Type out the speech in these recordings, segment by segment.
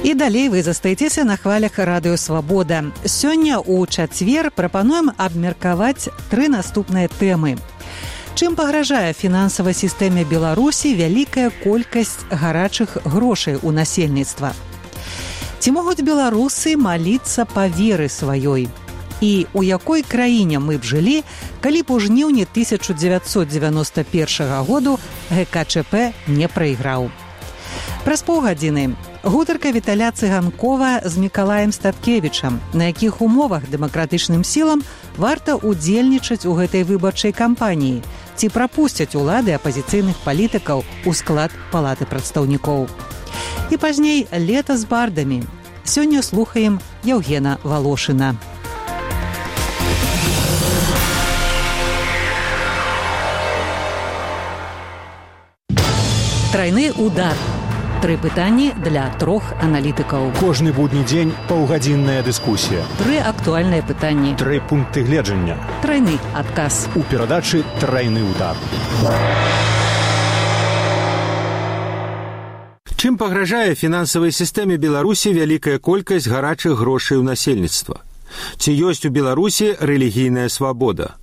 І далей вы застаецеся на хвалях радыё «Свабода». Сёння ў чацвер прапануем абмеркаваць 3 наступныя тэмы. Чым пагражае фінансавай сістэме Беларусі вялікая колькасць гарачых грошай у насельніцтва? Ці могуць беларусы маліцца па веры сваёй? І у якой краіне мы б жылі, калі б у жніўні 1991 году ГКЧП не прайграў? Праз паўгадзіны гутарка Віталя Цыганкова з Мікалаем Статкевічам, на якіх умовах дэмакратычным сілам варта ўдзельнічаць у гэтай выбарчай кампаніі, ці прапусцяць улады апазіцыйных палітыкаў у склад палаты прадстаўнікоў. І пазней лета з бардамі. Сёння слухаем Яўгена Волошина. Трайны удар. 3 пытанні для 3 аналітыкаў. Кожны будні дзень паўгадзінная дыскусія. 3 актуальныя пытанні. 3 пункты гледжання. Трайны адказ. У перадачы «Трайны удар». Чым пагражае фінансавай сістэме Беларусі вялікая колькасць гарачых грошай у насельніцтва? Ці ёсць у Беларусі рэлігійная свабода?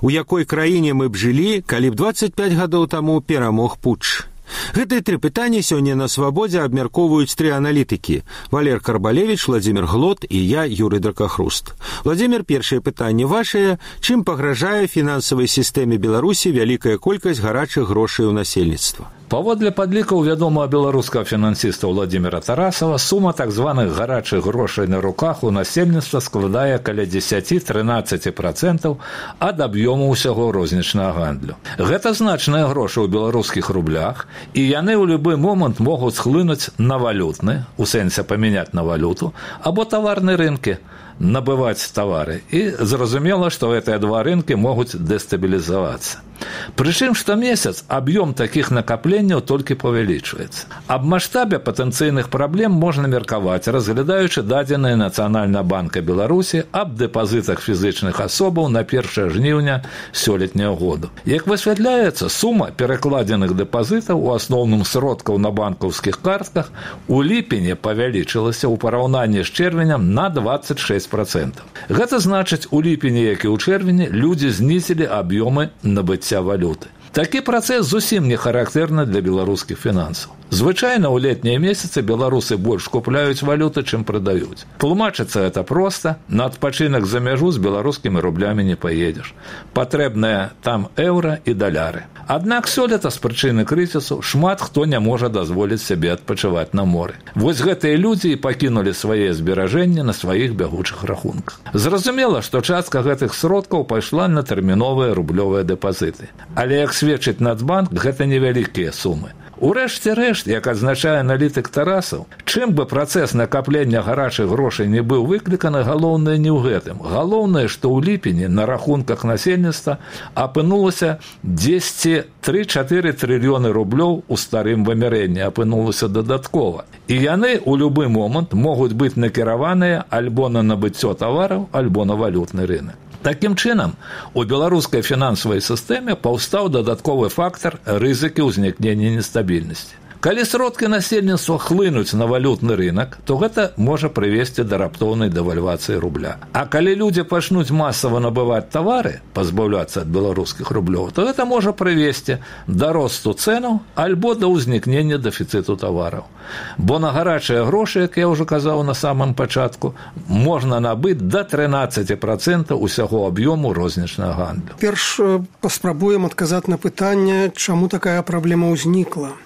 У якой краіне мы б жылі, калі б 25 гадоў таму перамог путч? Гэтыя 3 пытанні сёння на «Свабодзе» абмяркоўваюць 3 аналітыкі – Валер Карбалевіч, Владзімір Глот і я, Юрый Дракахруст. Владзімір, першае пытанне вашае. Чым пагражае фінансавай сістэме Беларусі вялікая колькасць гарачых грошай у насельніцтва? Паводле падлікаў вядомага беларускага фінансіста Владзіміра Тарасава, сума так званых гарачых грошай на руках у насельніцтва складае каля 10-13% ад аб'ёму ўсяго рознічнага гандлю. Гэта значныя грошы ў беларускіх рублях, і яны ў любы момант могуць схлынуць на валютны, у сэнсе памяняць на валюту, або таварныя рынкі, набываць тавары. І зразумела, што гэтыя 2 рынкі могуць дэстабілізавацца. Прычым штомесяц аб'ём такіх накапленняў толькі павялічваецца. Аб маштабе патэнцыйных праблем можна меркаваць, разглядаючы дадзеныя Нацыянальнага банка Беларусі аб дэпазітах фізычных асобаў на 1 жніўня сёлетняга году. Як высвятляецца, сума перакладзеных дэпазітаў, у асноўным сродкаў на банкаўскіх картках, у ліпені павялічылася ў параўнанні з чэрвенем на 26%. Гэта значыць, у ліпені, як і ў чэрвені, людзі знізілі аб'ёмы набыцця валюты. Такі працэс зусім не характэрны для беларускіх фінансаў. Звычайна ў летнія месяцы беларусы больш купляюць валюты, чым прадаюць. Тлумачыцца гэта проста. На адпачынак за мяжу з беларускімі рублямі не паедзеш. Патрэбныя там еўра і даляры. Аднак сёлета з прычыны крызісу шмат хто не можа дазволіць сябе адпачываць на моры. Вось гэтыя людзі і пакінулі свае зберажэнні на сваіх бягучых рахунках. Зразумела, што частка гэтых сродкаў пайшла на тэрміновыя рублёвыя дэпазіты. Але, як сведчыць Нацбанк, гэта невялікія сумы. Урэшце рэшт, як адзначае аналітык Тарасаў, чым бы працэс накаплення гарачых грошай не быў выкліканы, галоўнае не ў гэтым. Галоўнае, што ў ліпені на рахунках насельніцтва апынулася 3-4 трыльёны рублёў у старым вымярэнні, апынулася дадаткова. І яны ў любы момант могуць быць накіраваныя альбо на набыццё тавараў, альбо на валютны рынак. Такім чынам, у беларускай фінансавай сістэме паўстаў дадатковы фактар рызыкі ўзнікнення нестабільнасці. Калі сродкі насельніцтва хлынуць на валютны рынак, то гэта можа прывесці да раптоўнай дэвальвацыі рубля. А калі людзі пачнуць масава набываць тавары, пазбаўляцца ад беларускіх рублёў, то гэта можа прывесці да росту цэнаў альбо да ўзнікнення дэфіцыту тавараў. Бо на гарачыя грошы, як я ўжо казаў на самым пачатку, можна набыць да 13% усяго аб'ёму рознічнага гандлю. Перш паспрабуем адказаць на пытанне, чаму такая праблема ўзнікла.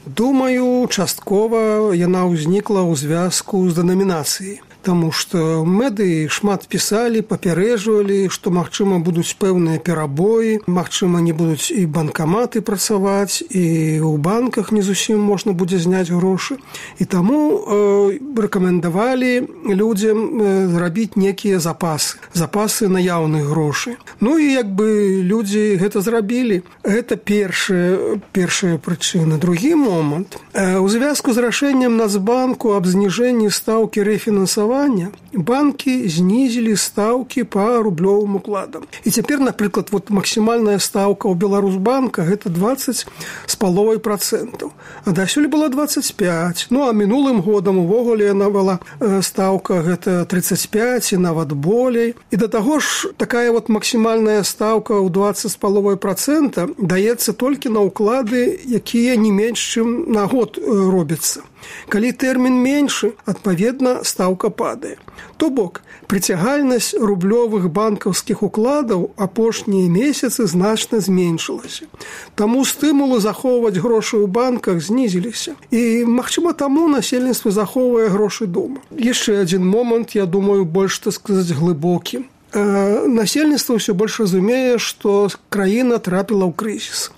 Думаю, часткова яна ўзнікла ў звязку з дэнамінацыяй. Таму што медыі шмат пісалі, папярэджвалі, што, магчыма, будуць пэўныя перабоі, магчыма, не будуць і банкаматы працаваць, і ў банках не зусім можна будзе зняць грошы. І таму рэкамендавалі людзям зрабіць некія запасы наяўных грошай. Ну і як бы людзі гэта зрабілі. Гэта першая прычына. Другі момант. У звязку з рашэннем Нацбанку аб зніжэнні стаўкі рэфінансавання фінансавання банкі знізілі стаўкі па рублёвым укладам. І цяпер, напрыклад, максімальная стаўка ў Беларусбанка гэта 20,5%. А дасюль была 25. А мінулым годам увогуле яна была стаўка гэта 35 і нават болей. І да таго ж такая максімальная стаўка ў 20,5% даецца толькі на ўклады, якія не менш, чым на год робяцца. Калі тэрмін меншы, адпаведна, стаўка падае. То бок, прыцягальнасць рублёвых банкаўскіх укладаў апошнія месяцы значна зменшылася. Таму стымулы захоўваць грошы ў банках знізіліся. І, магчыма, таму насельніцтва захоўвае грошы дома. Яшчэ адзін момант, я думаю, больш, так сказаць, глыбокі. Насельніцтва ўсё больш разумее, што краіна трапіла ў крызіс.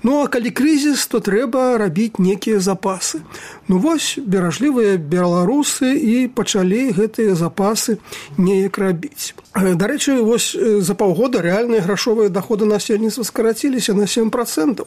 А калі крызіс, то трэба рабіць некія запасы. Беражлівыя беларусы і пачалі гэтыя запасы неяк рабіць. Дарэчы, за паўгода рэальныя грашовыя даходы насельніцтва скараціліся на 7%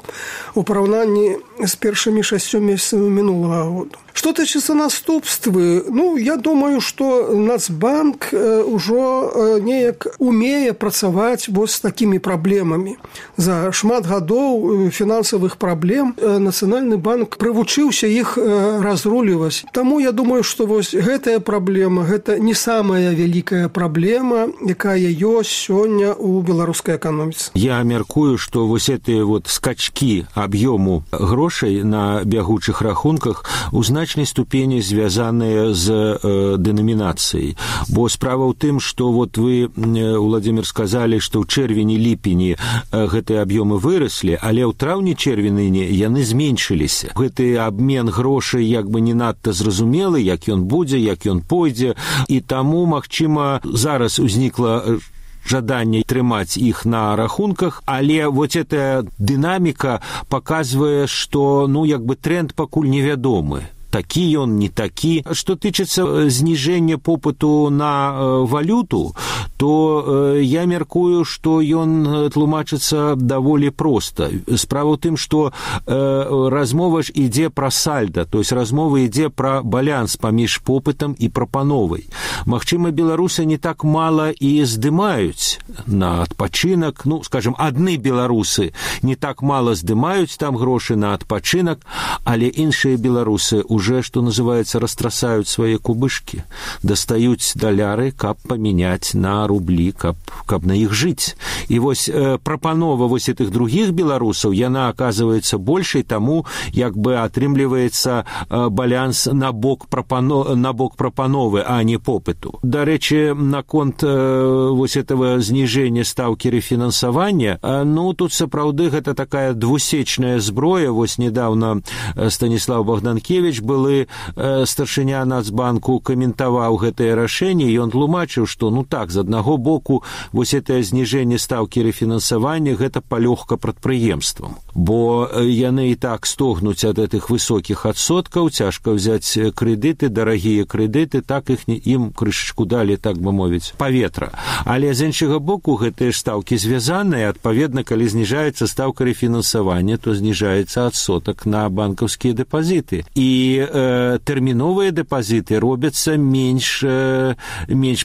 у параўнанні з першымі 6 месяцамі мінулага года. Што тычыцца наступствы, я думаю, што Нацбанк ужо неяк умее працаваць з такімі праблемамі. За шмат гадоў фінансавых праблем Нацыянальны банк прывучыўся іх разруліваць. Таму я думаю, што гэтая праблема, гэта не самая вялікая праблема, якая ёсць сёння ў беларускай эканоміцы. Я мяркую, што гэтыя скачкі аб'ёму грошай на бягучых рахунках у значнай ступені звязаныя з дэнамінацыяй. Бо справа ў тым, што вы, Владимир, сказалі, што ў чэрвені-ліпені гэтыя аб'ёмы выраслі, але ў траўні-чэрвені яны зменшыліся. Гэты абмен грошай не надта зразумелы, як ён будзе, як ён пойдзе, і таму, магчыма, зараз узнікла жаданне трымаць іх на рахунках, але эта дынаміка паказвае, што тренд пакуль невядомы. Такі ён, не такі. Што тычыцца зніжэння попыту на валюту, то я мяркую, што ён тлумачыцца даволі проста. Справа ў тым, што размова ж ідзе пра сальда, то есть размова ідзе пра баланс паміж попытам і прапановай. Магчыма, беларусы не так мала і здымаюць на адпачынак, скажем, адны беларусы не так мала здымаюць там грошы на адпачынак, але іншыя беларусы уже, что называется, растрасаюць свае кубышкі, дастаюць даляры, каб памяняць на рублі, каб на іх жыць. І прапанова этих других беларусаў, яна аказваецца большай, таму атрымліваецца баланс на бок прапановы, а не попыту. Дарэчы, наконт этого зніжэння стаўкі рэфінансавання, тут сапраўды гэта такая двусечная зброя. Недавно Станіслав Богданкевич былы старшыня Нацбанку каментаваў гэтае рашэнне, і ён тлумачыў, што з аднаго боку гэтае зніжэнне стаўкі рэфінансавання гэта палёгка прадпрыемствам, бо яны і так стогнуць ад гэтых высокіх адсоткаў, цяжка ўзяць крэдыты, дарагія крэдыты, так ім крышачку далі, так бы мовіць, паветра. Але з іншага боку гэтыя стаўкі звязаныя, адпаведна, калі зніжаецца стаўка рэфінансавання, то зніжаецца адсотак на банкаўскія дэпазіты. І тэрміновыя дэпазіты робяцца менш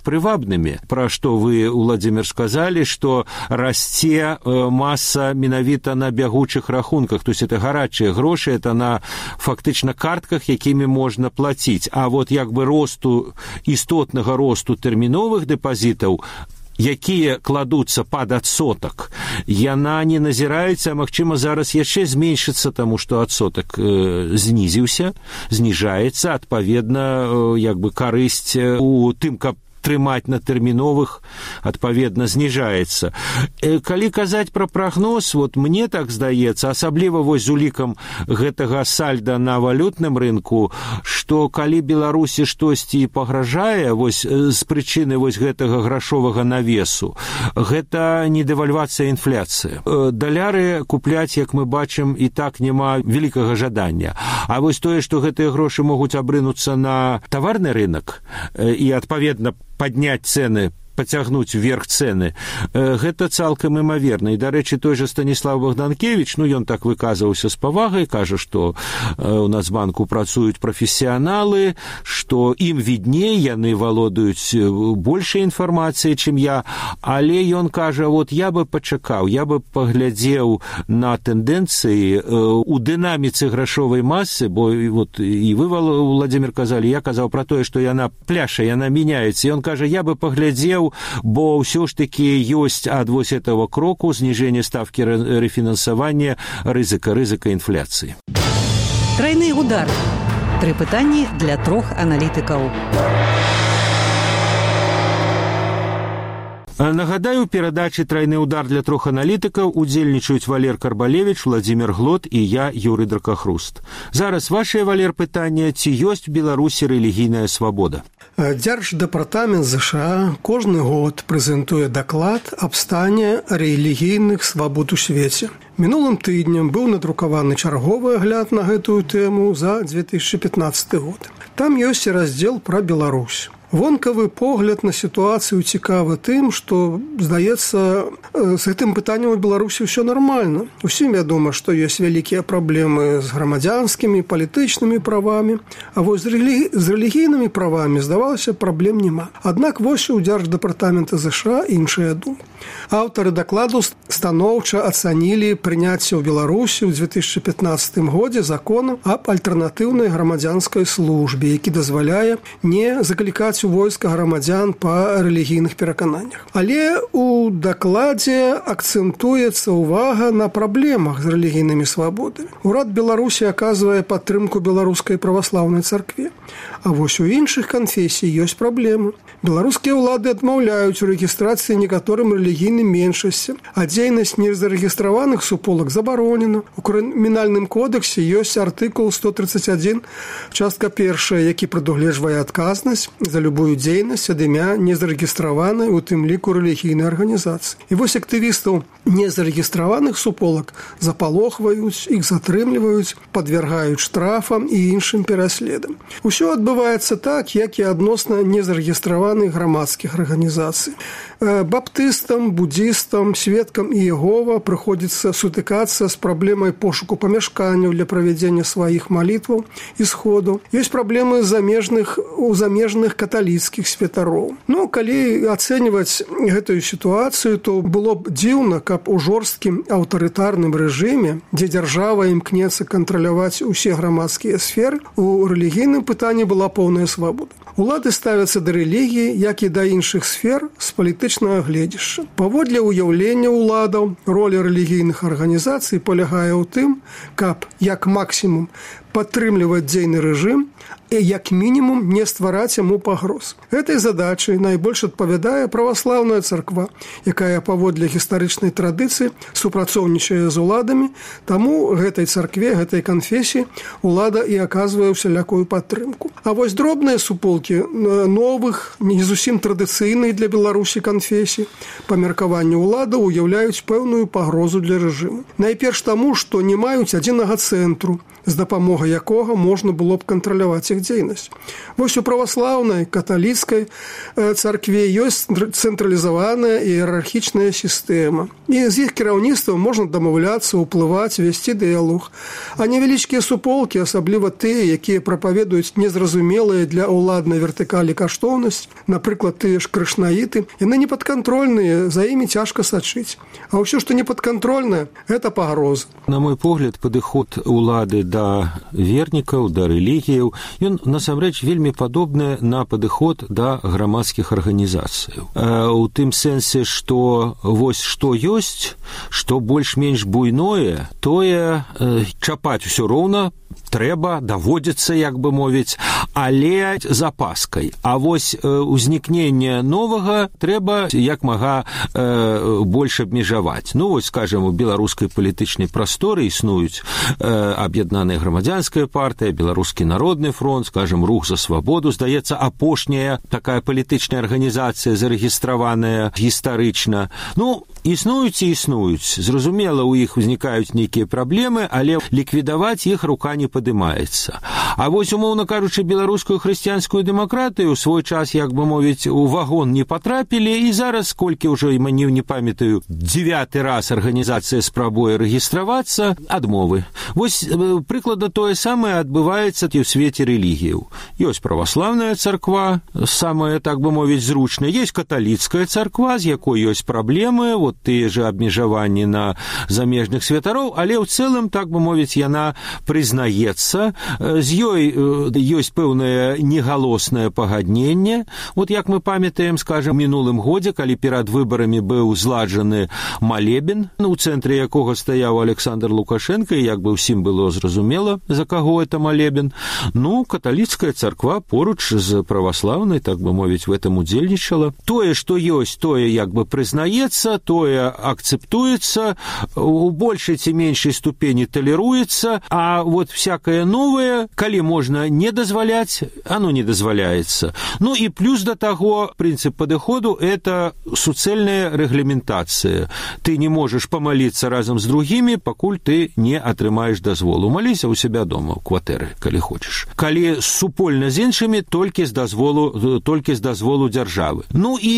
прывабнымі. Пра што вы, Владимир, сказалі, што расце маса менавіта на бягучых рахунках, то есть это гарачыя грошы, это на фактычна картках, якімі можна плаціць. А істотнага росту тэрміновых дэпазітаў, якія кладуцца пад адсотак, яна не назіраецца, а магчыма зараз яшчэ зменшыцца, таму што адсотак зніжаецца, адпаведна, карысць у тым, каб трымаць на тэрміновых, адпаведна, зніжаецца. Калі казаць пра прагноз, мне так здаецца, асабліва з улікам гэтага сальда на валютным рынку, што калі Беларусі штосьці пагражае з прычыны гэтага грашовага навесу, гэта не дэвальвацыя, інфляцыя. Даляры купляць, як мы бачым, і так няма вялікага жадання. А тое, што гэтыя грошы могуць абрынуцца на таварны рынок і, адпаведна, падняць цэны пацягнуць вверх цэны. Гэта цалкам імаверна. І, дарэчы, той жа Станіслав Богданкевич, ён так выказваўся з павагай, кажа, што у Нацбанку працуюць прафесіяналы, што ім відней, яны валодаюць большай інфармацыяй, чым я, але ён кажа, вот я бы пачакаў, я бы паглядзеў на тэндэнцыі у дынаміцы грашовай масы, бо вот і вы, Владимир, казалі, я казаў пра тое, што яна пляша, яна мяняецца. І ён кажа, я бы паглядзеў, бо ўсё ж такі ёсць ад вось этого кроку снижение ставки рефинансования рызыка инфляции. Тройны удар. 3 пытанні для 3 аналітыкаў. Нагадаю, у перадачы «Тройны удар» для 3 аналітыкаў удзельнічаюць Валер Карбалевич, Владимир Глот і я, Юрий Дракахруст. Зараз вашае, Валер, пытанне, ці ёсць у Беларусі рэлігійная свабода? Дзярждэпартамент США кожны год прэзентуе даклад аб стане рэлігійных свабод у свеце. Мінулым тыднем быў надрукаваны чарговы агляд на гэтую тэму за 2015 год. Там ёсць раздзел пра Беларусь. Вонкавы погляд на сітуацыю цікавы тым, што, здаецца, з гэтым пытаннем у Беларусі ўсё нармальна. Усім вядома, што ёсць вялікія праблемы з грамадзянскімі, палітычнымі правамі, а вось з рэлігійнымі правамі, здавалася, праблем няма. Аднак вось у Дзярждэпартамента США іншая думка. Аўтары дакладу станоўча ацанілі прыняцце ў Беларусі ў 2015 годзе закону аб альтэрнатыўнай грамадзянскай службе, які дазваляе не заклікаць у войска грамадзян па рэлігійных перакананнях. Але у дакладзе акцэнтуецца ўвага на праблемах з рэлігійнымі свабодамі. Урад Беларусі аказвае падтрымку беларускай праваслаўнай царкве. А вось у іншых канфесій ёсць праблемы. Беларускія ўлады адмаўляюць у рэгістрацыі некаторым рэлігійным меншасцям, а дзейнасць незарэгістраваных суполак забаронена. У крымінальным кодексе ёсць артыкул 131, частка 1, які прадугледжвае адказнасць за любую дзейнасць ад імя незарэгістраванай, у тым ліку рэлігійнай арганізацыі. І вось актывістаў незарэгістраваных суполак запалохваюць, іх затрымліваюць, падвяргаюць штрафам і іншым пераследам. Усё адбываецца так, як і адносна незарэгістраваных грамадскіх арганізацый. Баптыстам, буддістам, сведкам Іегова прыходзіцца сутыкацца з праблемай пошуку памяшканняў для правядзення сваіх малітваў і сходаў. Ёсць праблемы у замежных каталіцкіх святароў. Калі ацэньваць гэтую сітуацыю, то было б дзіўна, каб у жорсткім аўтарытарным рэжыме, дзе дзяржава імкнецца кантраляваць усе грамадскія сферы, у рэлігійным пытанні была поўная свабода. Улады ставяцца да рэлігіі, як і да іншых сфер, з палітычнага гледзяшча. Паводле ўяўлення ўладаў, роля рэлігійных арганізацый палягае ў тым, каб, як максімум, падтрымліваць дзейны рэжым і, як мінімум, не ствараць яму пагроз. Гэтай задачай найбольш адпавядае праваслаўная царква, якая паводле гістарычнай традыцыі супрацоўнічае з уладамі, таму гэтай царкве, гэтай канфесіі улада і аказвае усялякую падтрымку. А вось дробныя суполкі новых, не зусім традыцыйных для Беларусі канфесій, па меркаванню уладаў уяўляюць пэўную пагрозу для рэжыму. Найперш таму, што не маюць адзінага цэнтру, з дапамогай якога можна было б кантраляваць іх дзейнасць. Вось у праваслаўнай, каталіцкай царкве ёсць цэнтралізаваная іерархічная сістэма. І з іх кіраўніцтвам можна дамаўляцца, уплываць, весці дыялог. А невялічкія суполкі, асабліва тыя, якія прапаведуюць незразумелыя для ўладнай вертыкалі каштоўнасць, напрыклад, тыя ж крышнаіты, яны непадкантрольныя, за імі цяжка сачыць. А ўсё, што непадкантрольнае, гэта пагроза. На мой погляд, падыход улады да вернікаў, да рэлігіяў, ён насамрэч вельмі падобны на падыход да грамадскіх арганізацыяў. У тым сэнсе, што вось што ёсць, што больш-менш буйное, тое чапаць усё роўна трэба, даводзіцца, як бы мовіць, але з апаскай. А вось узнікненне новага трэба як мага больш абмежаваць. Вось, скажем, у беларускай палітычнай прасторы існуюць аб'яднаная грамадзянская партыя, Беларускі народны фронт, скажем, Рух за свабоду, здаецца, апошняя такая палітычная арганізацыя зарэгістраваная гістарычна. Існуюць і існуюць. Зразумела, у іх узнікаюць нейкія праблемы, але ліквідаваць іх рука не падымаецца. А вось, умоўна кажучы, беларускую хрысціянскую дэмакратыю ў свой час, як бы мовіць, у вагон не патрапілі, і зараз, колькі ўжо, не памятаю, 9-й раз арганізацыя спрабуе рэгістравацца, адмовы. Вось прыкладна тое самае адбываецца і ў свеце рэлігіяў. Ёсць праваслаўная царква, самая, так бы мовіць, зручная, ёсць каталіцкая царква, з якой ёсць праблемы, тыя же абмежаванні на замежных святароў, але ў цэлым, так бы мовіць, яна прызнаецца, з ёй ёсць пэўнае негалоснае пагадненне. Як мы памятаем, скажем, у мінулым годзе, калі перад выбарамі быў зладжаны малебен, у цэнтры якога стаяў Александр Лукашенко, і як бы ўсім было зразумела, за каго это малебен, каталіцкая царква поруч з праваслаўнай, так бы мовіць, в этом удзельнічала. Тое, што ёсць, тое як бы прызнаецца, тое акцэптуецца, у большай ці меншай ступені талеруецца, а всякае новае, калі можна не дазваляць, оно не дазваляецца. І плюс да таго, прынцып падыходу – это суцэльная рэгламентацыя. Ты не можаш памаліцца разам з другімі, пакуль ты не атрымаеш дазволу. Маліся ў сябе дома, ў кватэры, калі хочаш. Калі супольна з іншымі, толькі з дазволу дзяржавы. І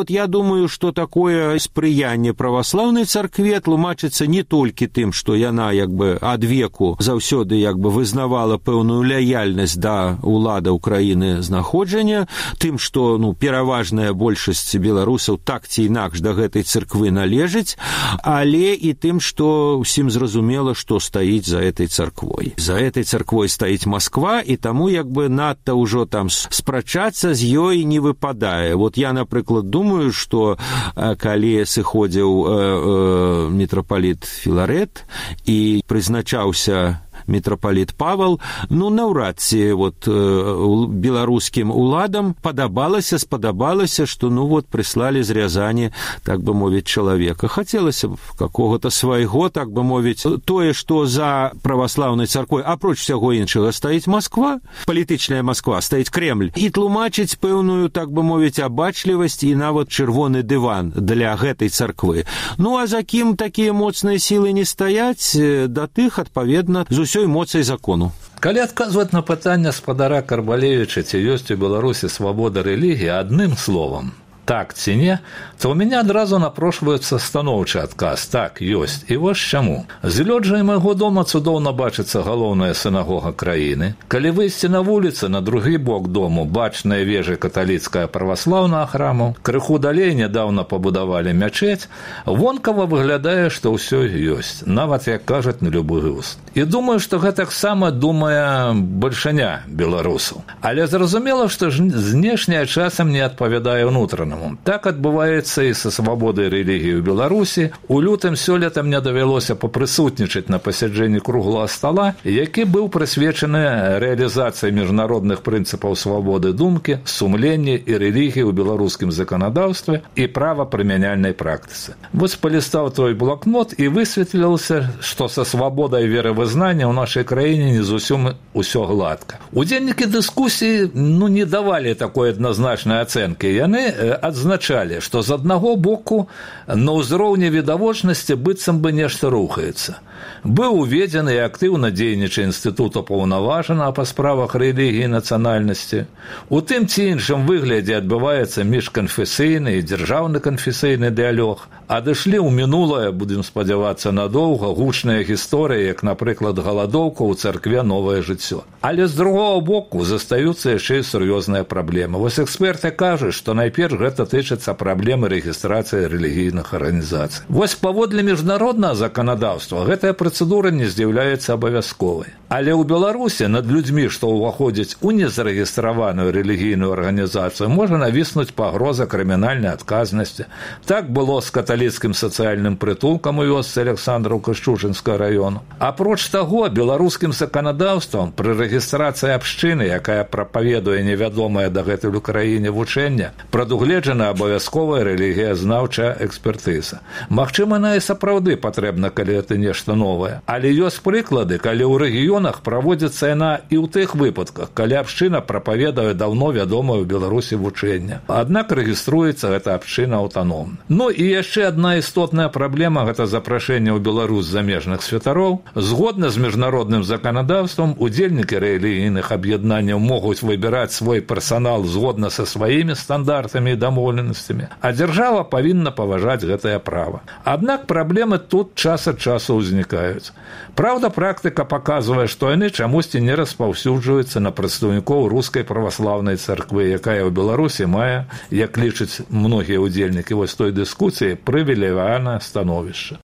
я думаю, што такое спрыянне праваслаўнай царкве тлумачыцца не толькі тым, што яна як бы адвеку заўсёды як бы вызнавала пэўную лаяльнасць да ўлада ўкраіны знаходжання, тым, што пераважная большасць беларусаў так ці інакш да гэтай царквы належыць, але і тым, што ўсім зразумела, што стаіць за этой царквой. За этой царквой стаіць Масква, і таму як бы надта ўжо там спрачацца з ёй не выпадае. Я, напрыклад, думаю, што калі сыходзіў мітрапаліт Філарэт і прызначаўся мітрапаліт Павал, наўрад ці беларускім уладам спадабалася, што прыслалі з Рязані, так бы мовіць, чалавека. Хацелася б какога-то свайго, так бы мовіць, тое, што за праваслаўнай царквой, апроч всяго іншага, стаіць Масква, палітычная Масква, стаіць Кремль, і тлумачыць пэўную, так бы мовіць, абачлівасць і нават чырвоны дыван для гэтай царквы. А за кім такія моцныя сілы не стаяць, да тых, адпаведна, з усёй моцай закону. Калі адказваць на пытанне спадара Карбалевіча, ці ёсць у Беларусі свабода рэлігіі адным словам, так ці не, то ў мяне адразу напрошваецца станоўчы адказ. Так, ёсць. І вось чаму. З лёджай майго дома цудоўна бачыцца галоўная сінагога краіны. Калі выйсці на вуліцы, на другі бок дому бачныя вежы каталіцкая праваслаўнага храму, крыху далей нядаўна пабудавалі мячэць, вонкава выглядае, што ўсё ёсць, нават, як кажуць, на любы густ. І думаю, што гэтаксама думае бальшыня беларусаў. Але зразумела, што знешняе часам не адпавядае ўнутранаму. Так адбываецца і са свабодай рэлігіі ў Беларусі. У лютым сёлета мне давялося папрысутнічаць на пасяджэнні круглага стала, які быў прысвечаны рэалізацыі міжнародных прынцыпаў свабоды думкі, сумлення і рэлігіі ў беларускім заканадаўстве і правапрымяняльнай практыцы. Вось палістаў твой блокнот і высветлілася, што са свабодай веравызнання ў нашай краіне не зусім усё гладка. Удзельнікі дыскусіі не давалі такой адназначнай ацэнкі. Яны адзначалі, што з аднаго боку на ўзроўні відавочнасці быццам бы нешта рухаецца. Быў уведзены і актыўна дзейнічае інстытут упаўнаважанага па справах рэлігіі і нацыянальнасці. У тым ці іншым выглядзе адбываецца міжканфесійны і дзяржаўны канфесійны дыялог. Адышлі ў мінулае, будзем спадзявацца, надоўга гучныя гісторыі, як, напрыклад, галадоўка ў царкве «Новае жыццё». Але з другого боку застаюцца яшчэ і сур'ёзныя праблемы. Вось эксперты кажуць, што найперш гэта тычыцца праблемы рэгістрацыі рэлігійных арганізацый. Вось паводле міжнароднага заканадаўства гэтая працэдура не з'яўляецца абавязковай. Але ў Беларусі над людзьмі, што ўваходзяць у незарэгістраваную рэлігійную арганізацыю, можа навіснуць пагроза крымінальнай адказнасці. Так было з каталіцкім сацыяльным прытулкам у вёсцы Александраўка Шчучынскага раёну. Апроч таго, беларускім заканадаўствам пры рэгістрацыі абшчыны, якая прапаведуе невядомае дагэтуль у краіне вучэнне, прадугледжана абавязковая рэлігіязнаўчая экспертыза. Магчыма, яна і сапраўды патрэбна, калі гэта нешта новая. Але ёсць прыклады, калі ў рэгіёнах праводзіцца яна і ў тых выпадках, калі абшчына прапаведае даўно вядомае ў Беларусі вучэнне. Аднак рэгіструецца гэта абшчына аўтаномна. Ну і яшчэ адна істотная праблема – гэта запрашэнне ў Беларусь замежных святароў. Згодна з міжнародным заканадаўствам, удзельнікі рэлігійных аб'яднанняў могуць выбіраць свой персанал згодна са сваімі стандартамі і дамоўленасцямі, а дзяржава павінна паважаць гэтае права. Аднак праблемы тут час ад часу ўзнікаюць. Праўда, практыка паказвае, што яны чамусьці не распаўсюджваюцца на прадстаўнікоў рускай праваслаўнай царквы, якая ў Беларусі мае, як лічаць многія ўдзельнікі вось той дыскусіі, прывілеяванае становішча.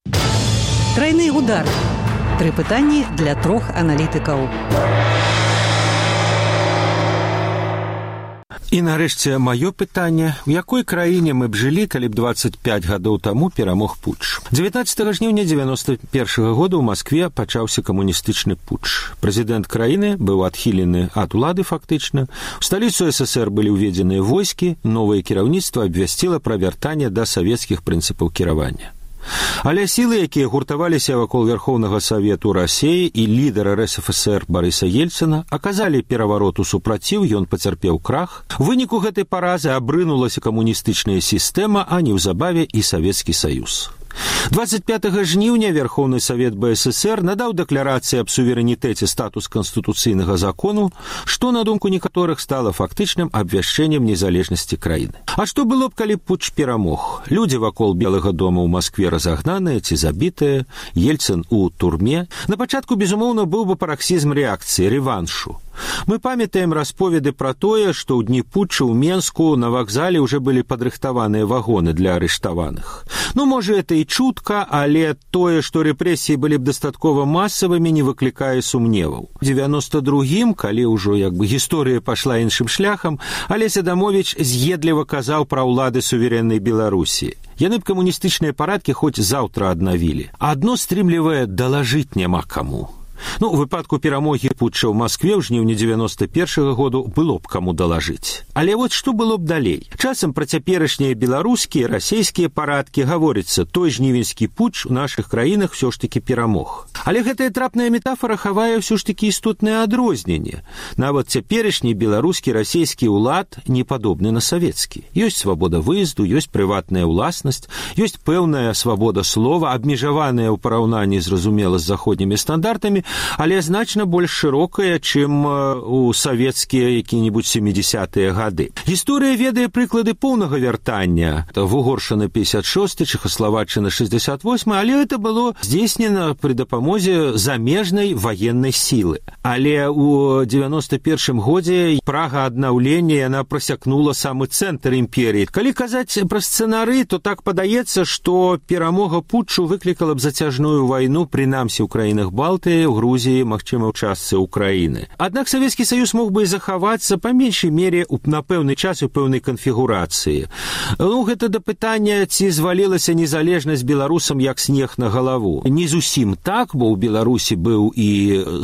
Трайны удар. 3 пытанні для 3 аналітыкаў. І нарэшце маё пытанне, у якой краіне мы б жылі, калі б 25 гадоў таму перамог путч. 19 жніўня 91 года ў Маскве пачаўся камуністычны путч. Прэзідэнт краіны быў адхілены ад улады фактычна. У сталіцу СССР былі ўведзеныя войскі, новае кіраўніцтва абвясціла пра вяртанне да савецкіх прынцыпаў кіравання. Але сілы, якія гуртаваліся вакол Верхоўнага Савету Расіі і лідара РСФСР Барыса Ельцына, аказалі перавароту супраціў, ён пацярпеў крах. У выніку гэтай паразы абрынулася камуністычная сістэма, а неўзабаве і Савецкі Саюз. 25 жніўня Верхоўны Савет БССР надаў дэкларацыі аб суверэнітэце статус канстытуцыйнага закону, што, на думку некаторых, стала фактычным абвяшчэннем незалежнасці краіны. А што было б, калі путч перамог? Людзі вакол Белага дома ў Маскве разагнаныя ці забітыя, Ельцын у турме. На пачатку, безумоўна, быў бы параксізм рэакцыі, рэваншу. Мы памятаем расповеды пра тое, што ў дні путча ў Менску на вакзале ўжо былі падрыхтаваныя вагоны для арыштаваных. Ну, можа, это і чутка, але тое, што рэпрэсіі былі б дастаткова масавымі, не выклікае сумневаў. У 92-м, калі ўжо гісторыя пайшла іншым шляхам, Алесь Адамовіч з'едліва казаў пра ўлады суверэннай Беларусі. Яны б камуністычныя парадкі хоць заўтра аднавілі. Адно стрымлівае далажыць няма каму. Ну, у выпадку перамогі путча ў Маскве ў жніўні 91 году было б каму далажыць. Але вот што было б далей? Часам пра цяперашнія беларускія, расійскія парадкі гаворыцца, той жнівеньскі путч у нашых краінах ўсё ж такі перамог. Але гэтая трапная метафора хавае ўсё ж такі істотнае адрозненне. Нават цяперашні беларускі, расійскі ўлад не падобны на савецкі. Ёсць свабода выезду, ёсць прыватная ўласнасць, ёсць пэўная свабода слова, абмежаваная ў параўнанні, зразумела, з заходнімі стандартамі, але значна больш шырокая, чым у савецкія які-небудзь 70-е гады. Гісторыя ведае прыклады поўнага вяртання. Вугоршчына 56, Чэхаславаччына 68, але гэта было здзейснена пры дапамозе замежнай ваеннай сілы. Але ў 91 годзе прага аднаўлення яна прасякнула самы цэнтр імперіі. Калі казаць пра сцэнары, то так падаецца, што перамога путчу выклікала б зацяжную вайну, прынамсі ў краінах Балтыі, у Грузіі, магчыма, ў частцы Украіны. Аднак Савецкі Саюз мог бы і захавацца па меншай мере на пэўны час у пэўнай канфігурацыі. Ну, гэта да пытання, ці звалілася незалежнасць беларусам як снег на галаву. Не зусім так, бо ў Беларусі быў і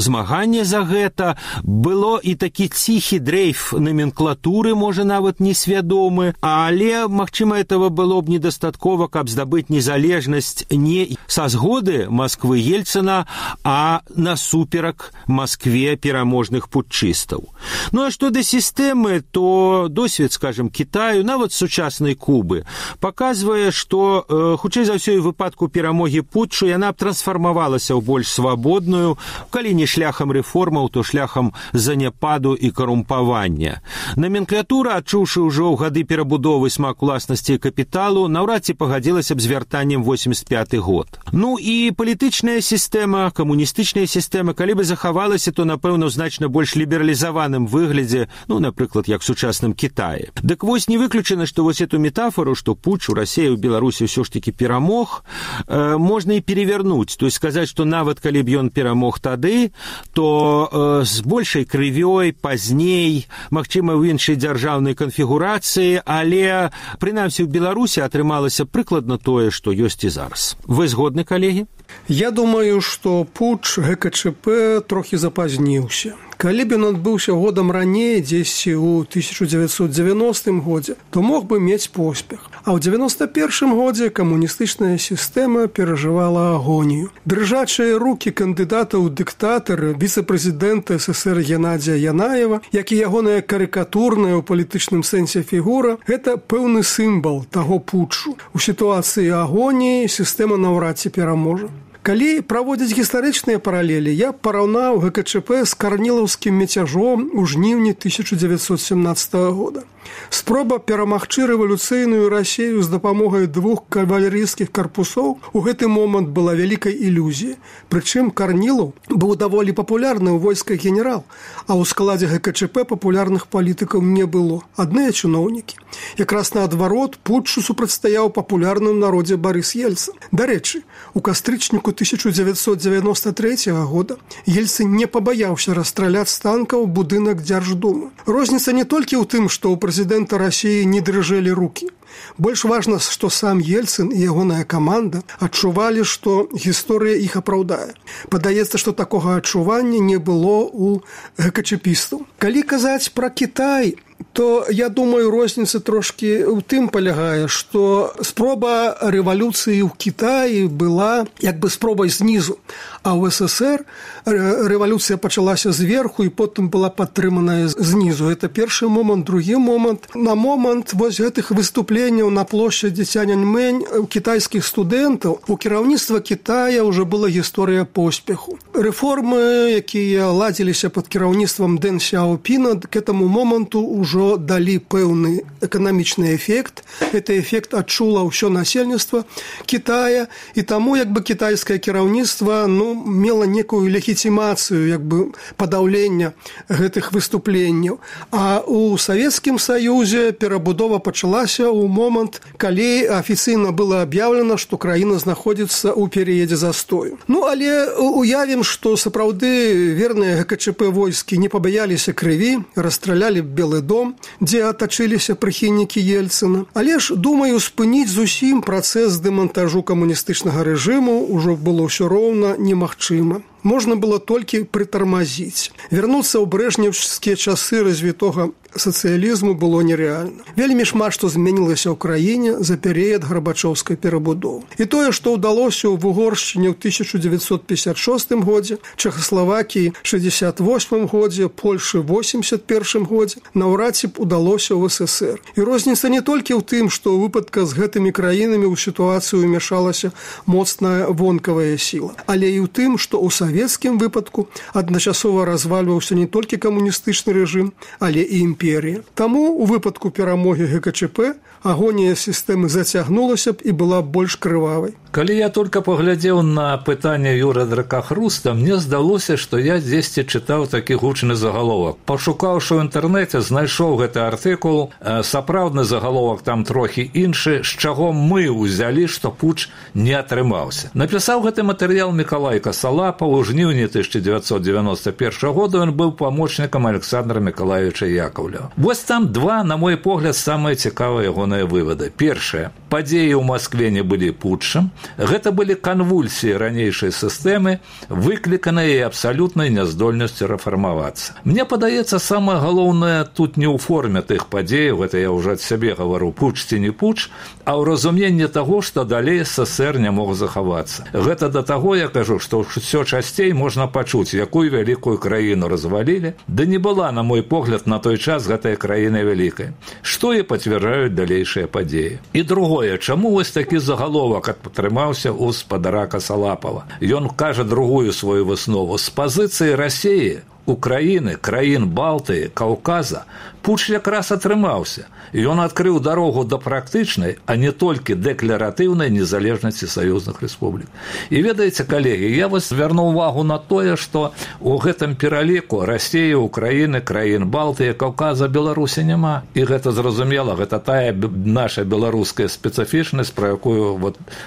змаганне за гэта, было і такі ціхі дрейф номенклатуры, можа, нават несвядомы, але, магчыма, этого было б недастаткова, каб здабыць незалежнасць не са згоды Масквы Ельцына, а насуперак Маскве пераможных путчыстаў. Ну, а што да сістэмы, то досвед, скажем, Кітаю, нават сучаснай Кубы, паказвае, што, хутчэй за ўсё, і выпадку перамогі путчу яна б трансфармавалася ў больш свабодную, калі не шляхам рэформаў, то шляхам заняпаду і карумпавання. Номенклатура, адчуўшы ўжо ў гады перабудовы смак уласнасці і капіталу, наўрад ці пагадзілася б з вяртаннем 85 год. Ну і палітычная сістэма, камуністычная сістэма, калі бы захавалася, то, напэўна, ў значна больш лібералізаваным выглядзе, ну, напрыклад, як сучасным Кітаі. Дык вось не выключана, што вось эту метафору, што путч у Расіі ў Беларусі ўсё ж такі перамог, можна і перевярнуць. То есть сказаць, што нават калі б ён перамог тады, то з большай крывёй, пазней, магчыма, ў іншай дзяржаўнай канфігурацыі, але, прынамсі, у Беларусі атрымалася прыкладна тое, што ёсць і зараз. Вы згодны, калегі? Я думаю, што путч ГКЧП трохі запазніўся. Калі б ён адбыўся годам раней, дзесьці ў 1990 годзе, то мог бы мець поспех. А ў 91 годзе камуністычная сістэма перажывала агонію. Дрыжачыя рукі кандыдата ў дыктатары, віцэ-прэзідэнта СССР Геннадзія Янаева, як і ягоная карыкатурная ў палітычным сэнсе фігура, гэта пэўны сімвал таго путчу. У сітуацыі агоніі сістэма наўрад ці пераможа. Калі праводзіць гістарычныя паралелі, я параўнаў ГКЧП з карнілаўскім мяцяжом у жніўні 1917 года. Спроба перамагчы рэвалюцыйную Расію з дапамогай 2 кавалерыйскіх карпусоў у гэты момант была вялікай ілюзіяй. Прычым Карнілаў быў даволі папулярны ў войсках генерал, а ў складзе ГКЧП папулярных палітыкаў не было. Адныя чыноўнікі. Якраз наадварот, путчу супрацьстаяў папулярным народзе Барыс Ельцын. Дарэчы, у кастрычніку 1993 года Ельцын не пабаяўся расстраляць з танкаў будынак Дзярждумы. Розніца не толькі ў тым, што ў прэзідэнта Расіі не дрыжэлі рукі. Больш важна, што сам Ельцын і ягоная каманда адчувалі, што гісторыя іх апраўдае. Падаецца, што такога адчування не было ў ГКЧПістаў. Калі казаць пра Кітай, то, я думаю, розніца трошкі ў тым палягае, што спроба рэвалюцыі ў Кітаі была як бы спробай знізу, а ў СССР рэвалюцыя пачалася зверху і потым была падтрыманая знізу. Это першы момант. Другі момант. На момант вось гэтых выступленняў на плошчадзі Цяньаньмэнь у кітайскіх студэнтаў у кіраўніцтва Кітая ўжо была гісторыя поспеху. Рэформы, якія ладзіліся пад кіраўніцтвам Дэн Сяопіна, к этому моманту ўжо далі пэўны эканамічны эфект. Гэты эфект адчула ўсё насельніцтва Кітая, і таму як бы кітайскае кіраўніцтва мела некую легітимацыю як бы падаўлення гэтых выступленняў. А ў Савецкім Саюзе перабудова пачалася ў момант, калі афіцыйна было аб'яўлена, што краіна знаходзіцца ў перыядзе застою. Але уявім, што сапраўды верныя ГКЧП войскі не пабаяліся крыві, расстралялі Белы дом, дзе атачыліся прыхільнікі Ельцына. Але ж, думаю, спыніць зусім працэс дэмантажу камуністычнага рэжыму ўжо было ўсё роўна немагчыма. Можна было толькі прытармазіць. Вярнуцца ў брэжнеўскія часы развітога сацыялізму было нерэальна. Вельмі шмат што змянілася ў краіне за перыяд гарбачоўскай перабудовы. І тое, што ўдалося ў Угоршчыне ў 1956 годзе, Чэхаславакіі 68 годзе, Польшы 81 годзе, наўрад ці б удалося ў СССР. І розніца не толькі ў тым, што ў выпадках з гэтымі краінамі ў сітуацыю ўмяшалася моцная вонкавая сіла, але і ў тым, што ў савецкім выпадку адначасова развальваўся не толькі камуністычны рэжым, але і імперія. Таму у выпадку перамогі ГКЧП агонія сістэмы зацягнулася б і была больш крывавай. Калі я только паглядзеў на пытанне Юры Дракахруста, мне здалося, што я дзесьці чытаў такі гучны загаловак. Пашукаўшы ў інтэрнэце, знайшоў гэты артыкул. Сапраўдны загаловак там трохі іншы, з чаго мы ўзялі, што путч не атрымаўся. Напісаў гэты матэрыял Мікалай Касалапа. У жніўні 1991 года ён быў памочнікам Александра Мікалаевіча Яковлева. Вось там два, на мой погляд, самыя цікавыя ягоныя вывады. Першае. Падзеі ў Маскве не былі путчам. Гэта былі канвульсіі ранейшай сістэмы, выкліканыя і абсалютнай няздольнасцю рэфармавацца. Мне падаецца, самае галоўнае тут не ў форме тых падзеяў, гэта я ўжо ад сябе гавару, путч ці не путч, а ў разуменні таго, што далей СССР не мог захавацца. Гэта да таго, я кажу, што ўсё часцей можна пачуць, якую вялікую краіну развалілі, да не была, на мой погляд, на той час гэтая краіна вялікая, што і пацвярджаюць далейшыя падзеі. І другое, чаму вось такі загаловак атрымаўся ў спадара Касалапава? Ён кажа другую сваю выснову. З пазіцыі Расіі, Украіны, краін Балтыі, Каўказа путч якраз атрымаўся. Ён адкрыў дарогу да практычнай, а не толькі дэкларатыўнай незалежнасці саюзных рэспублік. І ведаеце, калегі, я вас звярну ўвагу на тое, што ў гэтым пераліку Расіі, Украіны, краін Балтыі, Каўказа, Беларусі няма. І гэта зразумела, гэта тая наша беларуская спецыфічнасць, пра якую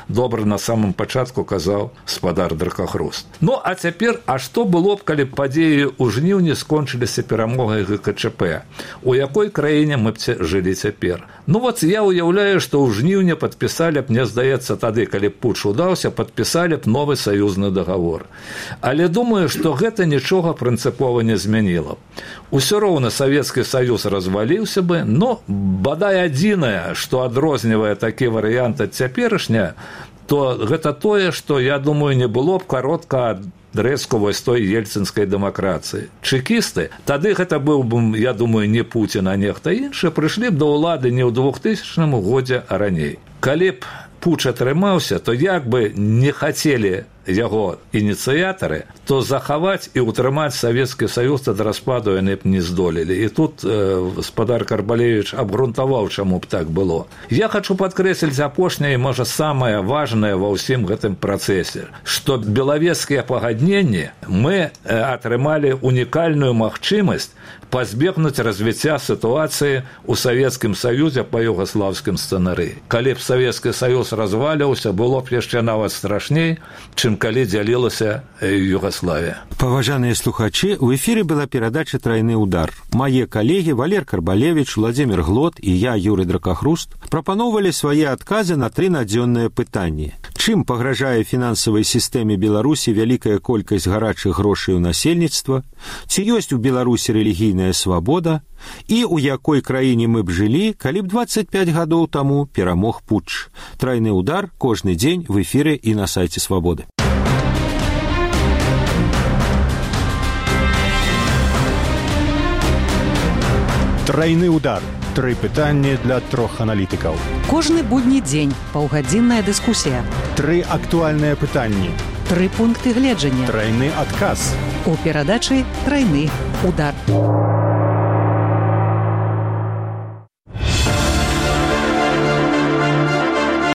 добра на самым пачатку казаў спадар Дракахруст. А цяпер, а што было б, калі падзеі ў у жніўні скончыліся перамогай ГКЧП. У якой краіне мы б жылі цяпер? Ну вот я уяўляю, што ў жніўні падпісалі б, мне здаецца, тады, калі б путч удаўся, падпісалі б новы саюзны дагавор. Але думаю, што гэта нічога прынцыпова не змяніла. Усё роўна Савецкі Саюз разваліўся бы, но бадай адзінае, што адрознівае такі варыянт ад цяперашня, то гэта тое, што, я думаю, не было б каротка адрэзку вось той ельцынскай дэмакратыі. Чэкісты, тады гэта быў бы, я думаю, не Пуцін, а нехта іншы, прыйшлі б да ўлады не ў 2000 годзе, а раней. Калі б путч атрымаўся, то як бы не хацелі яго ініцыятары, то захаваць і ўтрымаць Савецкі Саюз ад распаду яны б не здолелі. І тут гаспадар Карбалевіч абгрунтаваў, чаму б так было. Я хачу падкрэсліць апошняе і, можа, самае важнае ва ўсім гэтым працэсе, што белавежскія пагадненні мы атрымалі унікальную магчымасць пазбегнуць развіцця сітуацыі ў Савецкім Саюзе па югаслаўскім сцэнарыі. Калі б Савецкі Саюз разваліўся, было б яшчэ нават страшней, чым калі дзялілася Югаславія. Паважаныя слухачы, у эфіры была перадача «Трайны удар». Мае калегі Валер Карбалевіч, Владзімір Глот і я, Юрый Дракахруст, прапаноўвалі свае адказы на 3 надзённыя пытанні. Чым пагражае фінансавай сістэме Беларусі вялікая колькасць гарачых грошай у насельніцтва? Ці ёсць у Беларусі рэлігійная свабода? І у якой краіне мы б жылі, калі б 25 гадоў таму перамог путч? «Трайны удар» кожны дзень в эфіры і на сайце Свабоды. Трайны удар. 3 пытанні для 3 аналітыкаў. Кожны будні дзень паўгадзінная дыскусія. 3 актуальныя пытанні. 3 пункты гледжання. Трайны адказ. У перадачы «Трайны удар».